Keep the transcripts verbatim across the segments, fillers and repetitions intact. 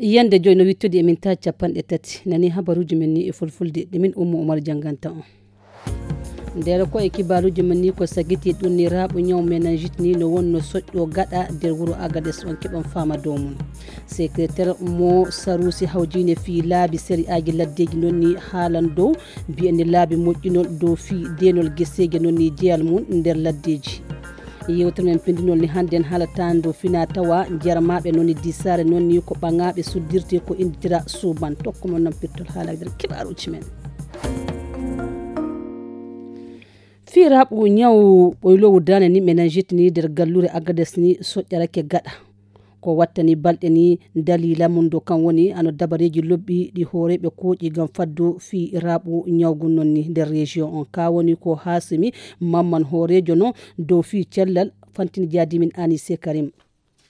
Yande joyi no wittodi e mintaji capanɗe tati. Nani habaruji men ni e fulfulde ɗi min Ummu Umar jannganta on. Nder ko e kibaruji men ni ko sagiti ɗum ni raɓo ñaw meningite ni no wonno soƴƴo gaɗa nder wuro Agades, on keɓan fama dow mum. Secrétaire mo Sarusi hawjine fii laabi seri aji laddeji non ni haalan dow mbiyen ni laabi moƴƴinol dow fii denol geseje non ni jeyal mum nder laddeji. Yewtere men pindinol ni hannden haalata ndo fina tawa jarmaɓe non ni disare non ni ko ɓaŋaɓe suddirte ko inditira suuban. Tokko mon non pirtol haala nder kibaruji men. Fii raɓu ñaw ɓoylowu dane ni meningite ni nder gallure Agades ni soƴƴarake gaɗa. Ko wattani balɗe ni dalila mum do kan woni ano dabareji lobbi ɗi hooreɓe koƴi ngam faddu fii raɓu ñawgu non ni nder région on. Ka woni ko Hasimi Mamman hoorejo no dow fii cellal fantini jaadimin Anise Karim.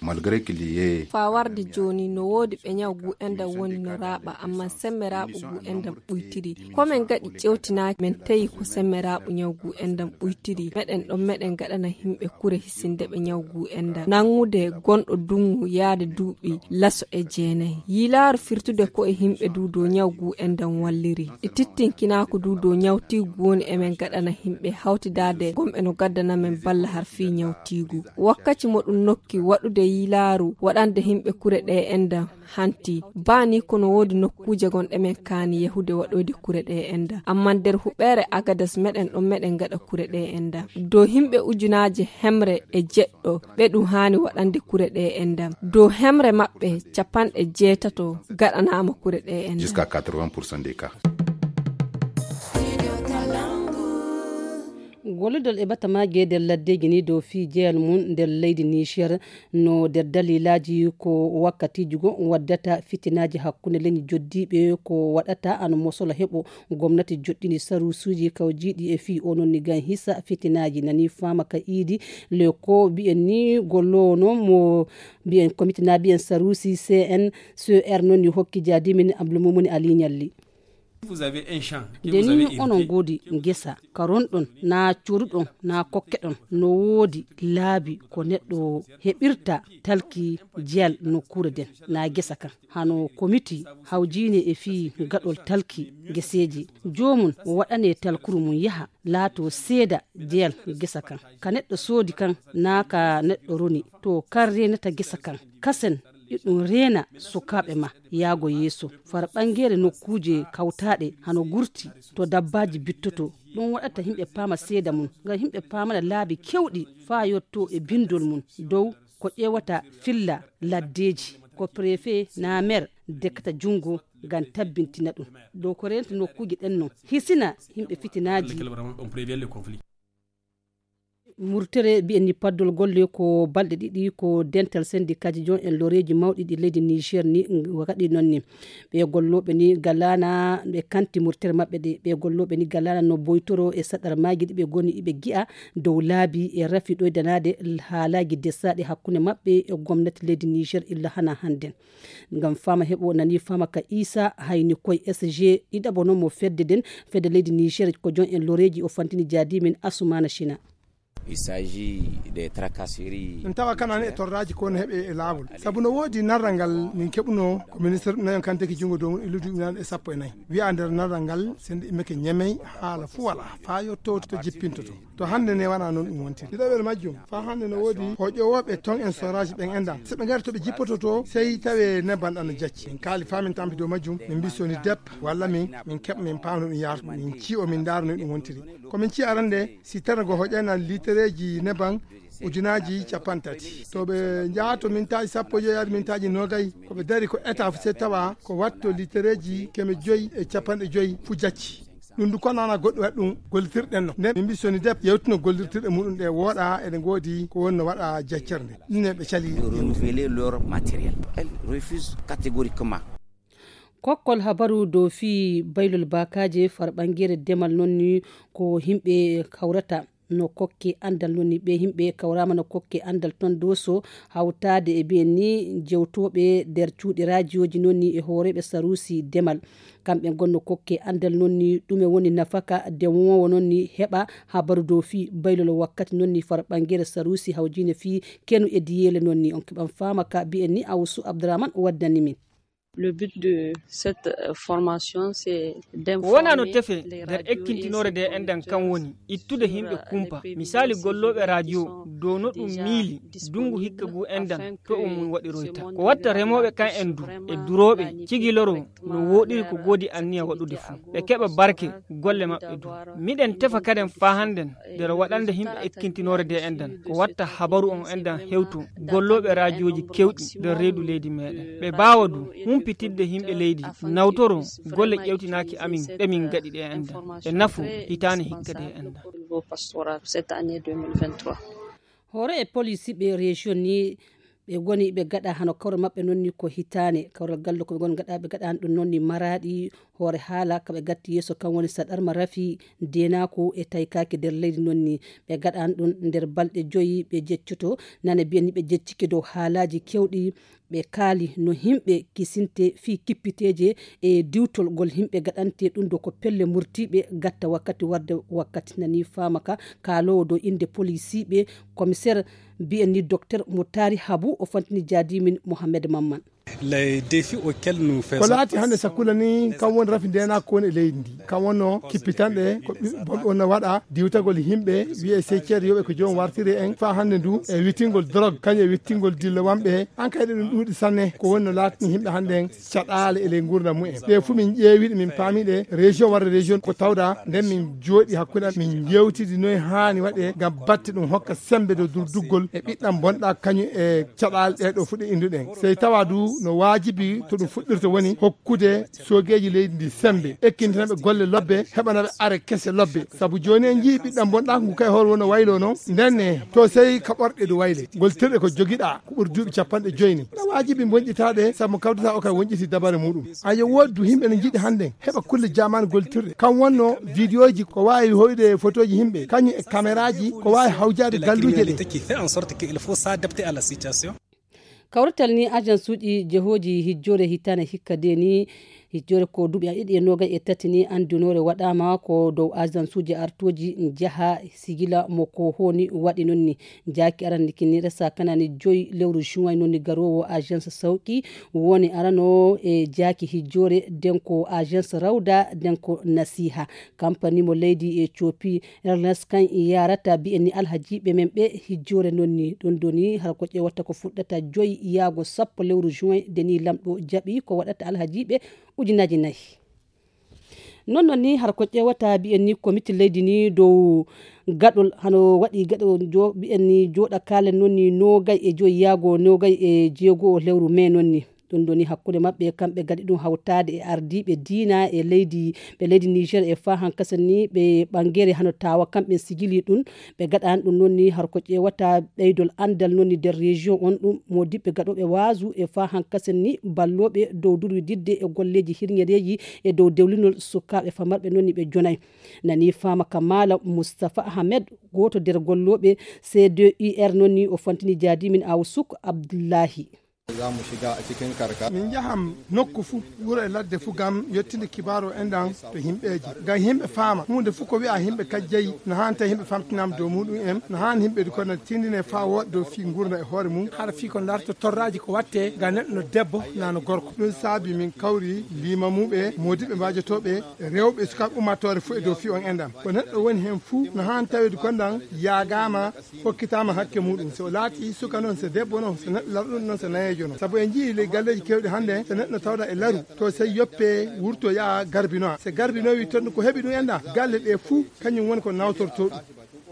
Malgré qu'il y ait Faa warde jooni, no woodi ɓe ñaw ngu enɗam woni no raaɓa, ammaa semmbe raaɓo ngu enɗam ɓuytiri. Ko men ngaɗi ƴeewtinaaji, men tawi ko semmbe raaɓo ñaw ngu enɗam ɓuytiri. Meɗen ɗon, meɗen ngaɗana yimɓe kure hisinde ɓe ñaw ngu enɗam. Nanngude gonɗo duŋŋu yaade duuɓi laso e jeenayi. Yilaaru firtude ko e yimɓe du dow ñaw ngu enɗam walliri. Ɗi tittinkinaako du dow ñawtiigu woni emen ngaɗana yimɓe hawtidaade gomɓe no gaddana men balla har fii ñawtiigu. Wakkaci mo ɗum nokki waɗude yilaaru waɗande yimɓe kure ɗe enɗam hanti. Baa ni kono woodi nokkuuje gonɗe men kaani yahude waɗoyde kure ɗe enɗam. Amma nder huɓeere Agadas meɗen ɗon meɗen ngaɗa kure ɗe enɗam. Dow yimɓe ujunaaje hemre e jeɗɗo ɓe ɗum haani waɗande kure ɗe enɗam. Dow hemre maɓɓe capanɗe jeetato gaɗanaama kure ɗe enɗam. Jusqu'à quatre-vingts pour cent des cas. Gollodol e batamaaji e nder laddeji ni dow fii jeyal mum nder leydi Niger no nder dalilaaji ko wakkatiiji go waddata fitinaaji hakkunde leñi joddiiɓe ko waɗata ano mosola heɓo gomnati joɗɗini sarusuuji kawjiiɗi e fii onon ni gan hisa fitinaaji nani faama ka iidi le ko mbiyen ni golloowo no mo mbiyen komite na mbiyen sarusi C N C R non ni hokki jaadimin Abdoulmoumouni Ali Nialli. Vous avez un champ que nde vous ni avez onon hérité. Ngoodi ngesa ka ronɗon na coruɗon na kokkeɗon no woodi laabi ko neɗɗo heɓirta talki jeyal nokkuure nden na gesa kan hano komiti hawjiine e fii gaɗol talki geseeji joomum waɗane talkuru mum yaha laato seeda jeyal gesa kan ka neɗɗo soodi kan na ka neɗɗo roni to kan reenata gesa kan kasen iɗum reena sukaaɓe ma yaago yeeso far ɓangeere nokkuuje kawtaaɗe hano gurti to dabbaaji bittoto ɗum waɗata yimɓe paama seeda mum ngam yimɓe paamana laabi kewɗi faa yotto e bindol mum dow ko ƴeewata filla laddeeji ko préfet na maire dekkata junngo ngam tabbintina ɗum dow ko reenta nokkuuje ɗen non hisina yimɓe fitinaaji. Murtere mbiyen ni paddol golle ko balɗe ɗiɗi ko dental sendikaaji jon en loreeji mawɗi ɗi leydi Niger ni waɗi noon ni ɓe gollooɓe ni galana ɓe kanti murtere maɓɓe ɗe ɓe gollooɓe ni galana no boytoro e saɗar maaji ɗi ɓe goni iɓe gi'a dow laabi e rafi ɗoydanaade haalaaji desaaɗi hakkunde maɓɓe e gomnati leydi Niger illa hana hannden. Ngam fama heɓo nani fama ka Isa hayni koy S G ɗiɗaɓo non mo fedde nden fedde leydi Niger ko jon en loreji o fantini jaadimin Asumana Shina. Il s'agit des tracasseries. Ɗum tawa kanani e torraji ko no heɓe e laawol sabu no woodi narral ngal min keɓuno ko ministre nayon kanteki junngo dow mum e lewdi ujunaaji e sappo e nayi wiya nder narral ngal sende immeke ñamey haala fuu wala faa yotto to jippintoto. To hannde ne wona noon ɗum wontiri ɗiɗaɓel majjum faa hannde no woodi hoƴowooɓe ton en soraji ɓen enɗam so ɓe ngari to ɓe jippoto to sey tawe nebban ɗan no jacci min kaali faa min tampi dow majjum min mbi soni dep walla min min keɓa min paamno ɗum yaarta min ciyo min ndaaro no ɗum wontiri ko min ciya arande si tana go hoƴana litereeji nebban ujunaaji capanɗe tati to ɓe njaha to mintaaji sappo e joyi yaade mintaaji noogay ko ɓe dari ko état fof se tawa ko watto litereeji keme joyi e capanɗe joyi fuu jacci. Ɗum du ko nana goɗɗo waɗi ɗum gollitirɗen no nden min mbi soni dep yewtino gollirtirɗe muɗum ɗe wooɗa eɗe ngoodi ko wonno waɗa jaccere nde ɗum ne ɓe cali renouveler leur matériel elle refuse catégoriquement. Kokkol habaru dow fii baylol baakaaje far ɓangeere demal noon ni ko yimɓe kawrata no kokke anndal noon ni ɓe yimɓe kawraama no kokke anndal toon doso hawtaade e mbiyen ni jewtooɓe nder cuuɗi raajiyooji noon ni e hooreeɓe saruusi demal kamɓe ngonno kokke anndal noon ni ɗume woni nafaka demoowo noon ni heɓa habaru dow fii baylol wakkati noon ni far ɓangeere saruusi hawjiine fii kenu e diyeele noon ni on keɓan faama ka mbiyen ni awsu abdurahman waddani min. Le but de cette euh, formation, c'est d'informer. Ko wonaa no tefe nder ekkintinoore nde enɗan kan woni ittude yimɓe kumpa, misaali gollooɓe radio dow no ɗum miili ndunngu hikka ngu enɗan to o mum waɗiroyta. Ko watta remooɓe kan en du e durooɓe cigiloroo no wooɗiri ko goodi anniya waɗude fuu, ɓe keɓa barke golle maɓɓe du. Miɗen tefa kaden faa hannden nder waɗande yimɓe ekkintinoore nde enɗan ko watta habaru on enɗan hewto gollooɓe raajooji kewɗi nder reedu leydi meɗen, ɓe mbaawa du humpitidde yimɓe leydi, nawtoro golle ƴewtinaaki amin ɗe min ngaɗi ɗe enɗan e nafu hitaande hikka nde enɗan. Hoore e poliisi ɓe région ni ɓe ngoni ɓe gaɗa hano kawral maɓɓe noon ni ko hitaane. Kawral gallo ko ɓe ngoni gaɗa, ɓe gaɗa ɗum noon ni maraaɗi hoore haala ka ɓe gatti yeeso kan woni saɗarma rafi, deenaako e taykaaki nder leydi noon ni. Ɓe gaɗa ɗum nder balɗe joyi ɓe jeccoto nane mbiyen ni ɓe jeccike dow haalaaji kewɗi. Ɓe kaali no yimɓe kisinte fii kippiteeje e diwtol ngol yimɓe gaɗante ɗum ɗo ko pelle murtiiɓe gatta wakkati warde wakkati. Nani faama ka kaaloowo dow innde polisiiɓe, komiseer mbiyen ni dokter mo taari habu o fantini jaadimin mohammed mamman. Les défis auxquels nous faisons face. Ko laati hannde sakkula ni kam woni rafi ndeenaako ko woni e leydi ndi, kam wonno kippitanɗe ko ɓi- bonɓe wonno waɗa diwtagol yimɓe, wiye sey ceede yoɓe ko joom wartiri en faa hannde ndu e wittingol drogue kañum e wittingol dillowamɓe. An kay ɗe ɗum ɗuuɗi sanne ko woni no laatni yimɓe hannde en caɗaale e ley nguurndam mumen. Ɗe fuu min ƴeewiɗe min paamiɗe région warde région ko tawda nden min jooɗi hakkunde am min njewtidi noye haani waɗe ngam batte ɗum hokka sembe dow durduggol e ɓiɗɗam bonɗa kañum e caɗaale ɗe ɗo fuɗɗe innduɗen. Sey tawa du no waajibi to ɗum fuɗɗirta woni hokkude soogeeji leydi ndi sembe, ekkintina ɓe golle lobbe, heɓana ɓe are kese lobbe. Sabu jooni en njii ɓiɗɗam bonɗa ngu kay hoore wonno waylo noon. Ndenne to sey ka ɓorɗe du wayle. Ngol tirɗe ko jogiɗa ko ɓuri duuɓi capanɗe joyi ni. No waajibi bonƴitaɗe sabu kawdata o kay wonƴiti dabare muɗum. Ayo woodi du yimɓe no njiɗi hannde heɓa kulle jaman goltirɗe. Kam wonno vidéoji ko waawi hoyde photoji yimɓe kañum e caméraji ko waawi hawjaade galluuje ɗe. Qui fait en sorte qu'il faut s'adapter à la situation. Kawrital ni agence uji jehooji hijjoore hitaande hikka de ni hijjoore ko duuɓi a ɗiɗi e noogay e tati ni anndinoore waɗaama ko dow agence uji artooji njaha sigila mo ko honi waɗi noon ni. Jaaki arani kini resa kanani joyi lewru juin noon ni garoowo agence sawki woni arano e jaaki hijjoore den ko agence rawda den ko nasiha. Kampani mo leydi e coopi Ernest kan yarata mbiyen ni alhajiiɓe men ɓe hijjoore noon ni ɗum ɗo ni hara ko ƴeewata ko fuɗɗata joyi yaago sappo lewru juin de ni lamɗo jaɓi ko waɗata alhajiiɓe ujunaaji nayi. Noon noon ni hara ko ƴeewata mbiyen ni komiti leydi ni dow gaɗol hano waɗi gaɗo mbiyen ni jooɗa kaalen noon ni noogay e joyi yaago noogay e jeego lewru mai noon ni. Ɗum ɗo ni hakkunde maɓɓe kamɓe gaɗi ɗum hawtaade e ardiiɓe diina e leydi ɓe leydi niger e faa hankasa ni ɓe ɓangere hano tawa kamɓe sigili ɗum. Ɓe gaɗani ɗum noon ni har ko ƴeewata ɓeydol anndal noon ni nder région on ɗum modiɓɓe gaɗooɓe waasu e faa hankasa ni ballooɓe dow durwididde e golleeji hirñereeji e dow dewlinol sukaaɓe famarɓe noon ni ɓe jonay. Nani faama ka maala moustapha ahmed gooto nder gollooɓe c d u r noon ni o fantini jaadimin awsuk abdullahi. Za mu shiga a cikin karkara. Min njahan nokku fuu, wuro e ladde fuu, ngam yottinde kibaaru enɗan to yimɓeeji. Ngam yimɓe faama huunde fuu ko wi'a yimɓe kajjayi, no haani tawi yimɓe famtinaama dow muuɗum en, no haani yimɓe du kono tindine faa wooɗa dow fii nguurndam e hoore mum, hara fii ko ndarto torraaji ko waɗtee ngam neɗɗo no debbo naa no gorko. Ɗum saabi min kawri liimamuuɓe, moodiɓɓe mbaajotooɓe, rewɓe e sukaaɓe ummaatoore fuu e dow fii on enɗan. Ko neɗɗo woni heen fuu no haani taweede konɗan yaagaama hokkitaama hakke muuɗum. So o laatii suka noon, so debbo noon, so neɗɗo lamɗo noon, so nayeejo noon. Sabu en njiyii ley galleeji keewɗi hannde, so neɗɗo tawɗaa e laru, to sey yoppee wurtoo yaha garbinoya. So garbinoyi toon ko heɓi ɗum enɗan, galle ɗee fuu kañum woni ko nawtortoo ɗum.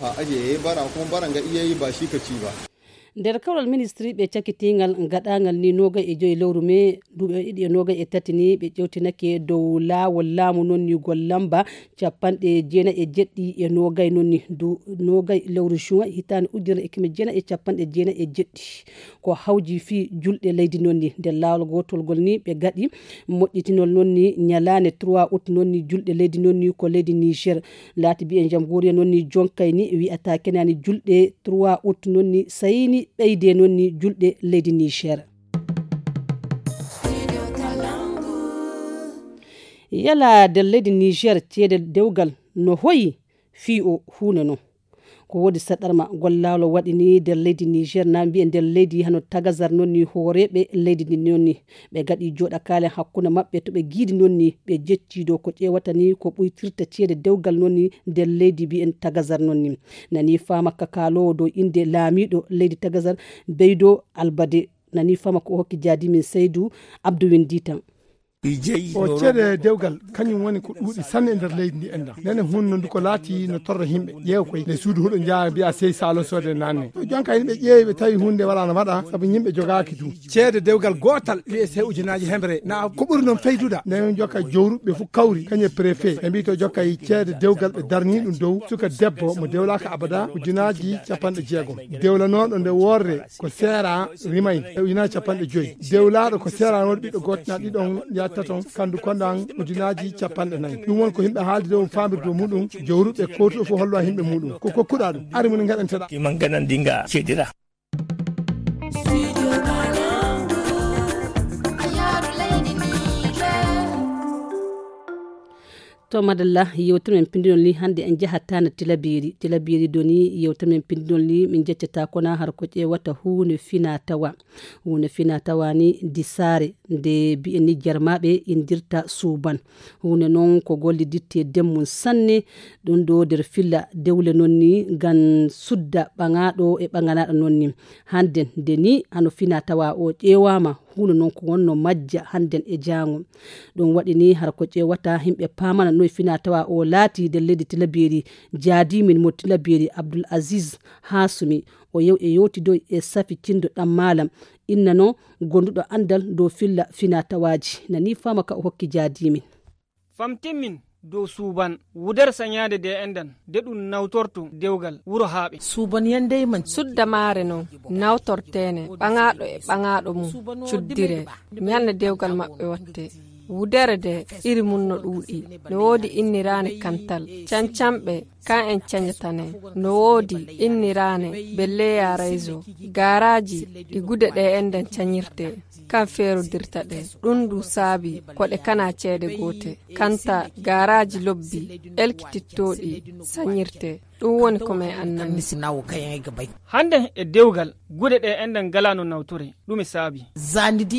A aje ya yi bara kuma bara ga iya yi ba shi ka ci ba. Nder kawral ministri ɓe cakitiingal gaɗaangal ni noogay e joyi lewru mai duuɓi ɗiɗi e noogay e tati ni ɓe ƴewtinake dow laawol laamu noon ni gollamba capanɗe jeenayi e jeɗɗi e noogay noon ni du noogay lewru juin hitaande ujunere e keme jeenayi e capanɗe jeenayi e jeɗɗi. Ko hawji fii julɗe leydi noon ni nder laawol gootol ngol ni ɓe gaɗi moƴƴitinol noon ni ñalaande trois août noon ni julɗe leydi noon ni ko leydi niger. Laati mbiyen jamhuriya noon ni jonkay ni wi'ata kenani julɗe trois août noon ni sayni ɓeyde noon ni julɗe leydi niger. Yala nder leydi niger ceede dewgal no hoyi fii o huunde non. Ko woodi saɗarma gollaaɗo waɗi ni nder leydi Niger, na mbiye nder leydi hano tagazar noon ni, hooreeɓe leydi ndi noon ni. Ɓe gaɗi jooɗakaale hakkunde maɓɓe to ɓe giidi noon ni, ɓe jecci dow ko ƴeewata ni ko ɓuytirta ceede dewgal noon ni nder leydi mbiyen tagazar noon ni. Nani faama ka kaaloowo dow innde laamiiɗo leydi tagazar, Beydo Albade. Nani faama ko o hokki jaadi min Seydu Abdou Winditan. O ceede dewgal, kañum woni ko ɗuuɗi sanne e nder leydi ndi enɗan. Nene hunde ndu ko laati no torra yimɓe. Ƴeew koy nde suudu huɗo njaha mbiya sey Saalon soode nanne. To jonka yimɓe ƴeewi ɓe tawi hunde wala no waɗa, sabu yimɓe jogaaki du. Ceede dewgal gootal wiye sey ujunaaji hemre. Na ko ɓuri noon feyduda. Nde on jokka jowruɓe fof kawri, kañum e préfet. Ɓe mbi to jokka e ceede dewgal ɓe darni ɗum dow suka debbo mo dewlaaka abada ujunaaji capanɗe jeegom. Dewlanooɗo nde worre ko seera rimay e ujunaaji capanɗe joyi. Dewlaaɗo ko seeraanooɗo ɓiɗɗo gooto na ɗiɗon yatta toon, kandu kondan ujunaaji capanɗe nayi. Ɗum won ko yimɓe haaldi dow famirde muɗum, jowruɓe kowtuɗo fof hollo yimɓe muɗum. Ko kokkuɗa ɗum, ari mun ngaɗanteɗa. Iman ganan dinga cedira. To madalla, yewtere men pinndinol ni hannde en njahataa na Tilaberi. Tilaberi doni yewtere men pinndinol ni min njeccata ko na har ko ƴeewata huunde fina tawa. Huunde fina tawa ni disaare nde mbiyen ni jarmaaɓe indirta suuban. Huunde noon ko golliditte demmum sanne, ɗum ɗo nder filla dewle noon ni ngam sudda ɓaŋaaɗo e ɓaŋanaaɗo noon ni. Hannden nde ni hano fina tawa o ƴeewaama, huunde noon ko wonno majja hannden e jaango. Ɗum waɗi ni har ko ƴeewata yimɓe paamana noy fina tawa o laati nder leydi Tilaberi. Jaadimin mo Tilaberi Abdul Aziz Hasumi, o yew e yewtidoy e Safi Cindo ɗan Maalam, innano gonduɗo anndal dow filla fina tawaaji. Nani faama ka o hokki jaadimin. Famtinmin dow suuban wudere sañaade de enɗan de ɗum nawtorto dewgal wuro haaɓe. Suuban yandey man. Sudda maare noon nawtorteene ɓaŋaaɗo e ɓaŋaaɗo mum cuddire ñande dewgal maɓɓe watte. Wudere de iri mum no ɗuuɗi. No woodi inniraane kantal. Cancanɓe kan en cañatane. No woodi inniraane belleya rayso. Gaaraaji ɗi gude ɗe enɗan cañirte. Kan feerodirta ɗe. Ɗum ndu saabi ko ɗe kana ceede goote. Kanta gaaraaji lobbi elkitittooɗi sañirte. Ɗum woni ko men annani. Hannden e dewgal gude ɗe enɗan ngala no nawtore. Ɗum e saabi.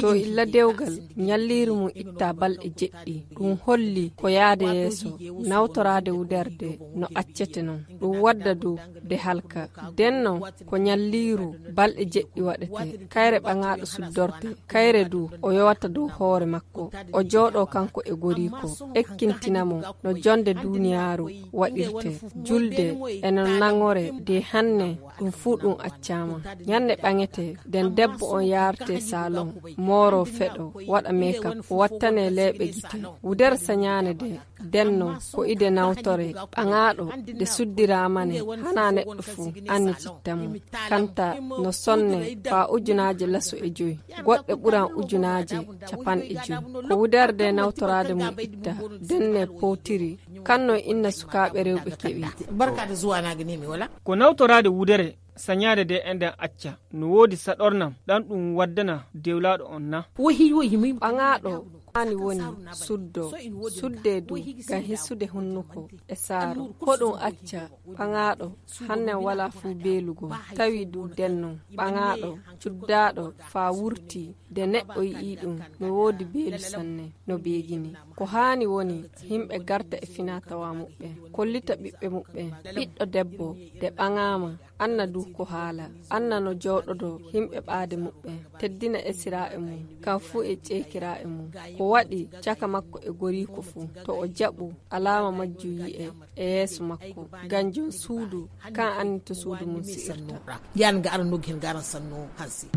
To illa dewgal ñalliiri mum itta balɗe jeɗɗi. Ɗum holli ko yaade yeeso nawtoraade wuderde no accete noon. Ɗum wadda dow de halka. Den noon ko ñalliiru balɗe jeɗɗi waɗete. Kayre ɓaŋaaɗo suddorte. Kayre du o yowata dow hoore makko. O jooɗo kanko e goriiko. Ekkintina mo no jonde duuniyaaru waɗirte. Julde e no naŋore de hanne ɗum fuu ɗum accaama. Ñande ɓaŋete den debbo on yaarte salon, mooro feɗo, waɗa makeup, wattane leeɓe gite. Wudere sañaane de, denno ko ide nawtore ɓaŋaaɗo de suddiraama ne, hana neɗɗo fuu annititta mo. Kanta no sonne faa ujunaaje laso e joy, goɗɗe ɓuran ujunaaje capanɗe joy. Ko wudere de nawtoraade mum itta, denne powtiri, kanno inna sukaaɓe rewɓe keɓi. Barka da zuwa na gani mi wala. Ko nawtoraade wudere sañaade de enɗan acca. No woodi saɗornam ɗan ɗum waddana dewlaaɗo on na? Ɓaŋaaɗo haani woni suddo, sudde du ngam hissude hunnuko e saaro. Ko ɗum acca ɓaŋaaɗo hannen wala fuu beelugo, tawi du denno ɓaŋaaɗo cuddaaɗo faa wurti de neɗɗo yi'i ɗum no woodi beelu sanne no beegini. Ko haani woni yimɓe garta e finaa-tawaa muɓɓen, kollita ɓiɓɓe muɓɓen, ɓiɗɗo debbo de ɓaŋaama, anna du ko haala, anna no jooɗodoo yimɓe ɓaade muɓɓen, teddina esiraaɓe mum, kam fuu e ceekiraaɓe mum. Ko waɗi caka makko e goriiko fuu, to o jaɓu alaama majjum yi'e e yeeso makko, ngam jom suudu kan anni to suudu mum si'irta. Yan ga aran noggi hen garan sanno hansi.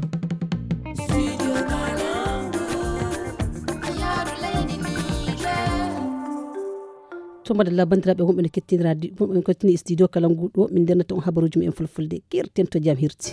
To madalla, banndiraaɓe wonɓe no kettini radio, wonɓe no kettini studio kala ngu ɗo, min ndernata on habaruuji men en fulfulde. Kirten to jam hirti.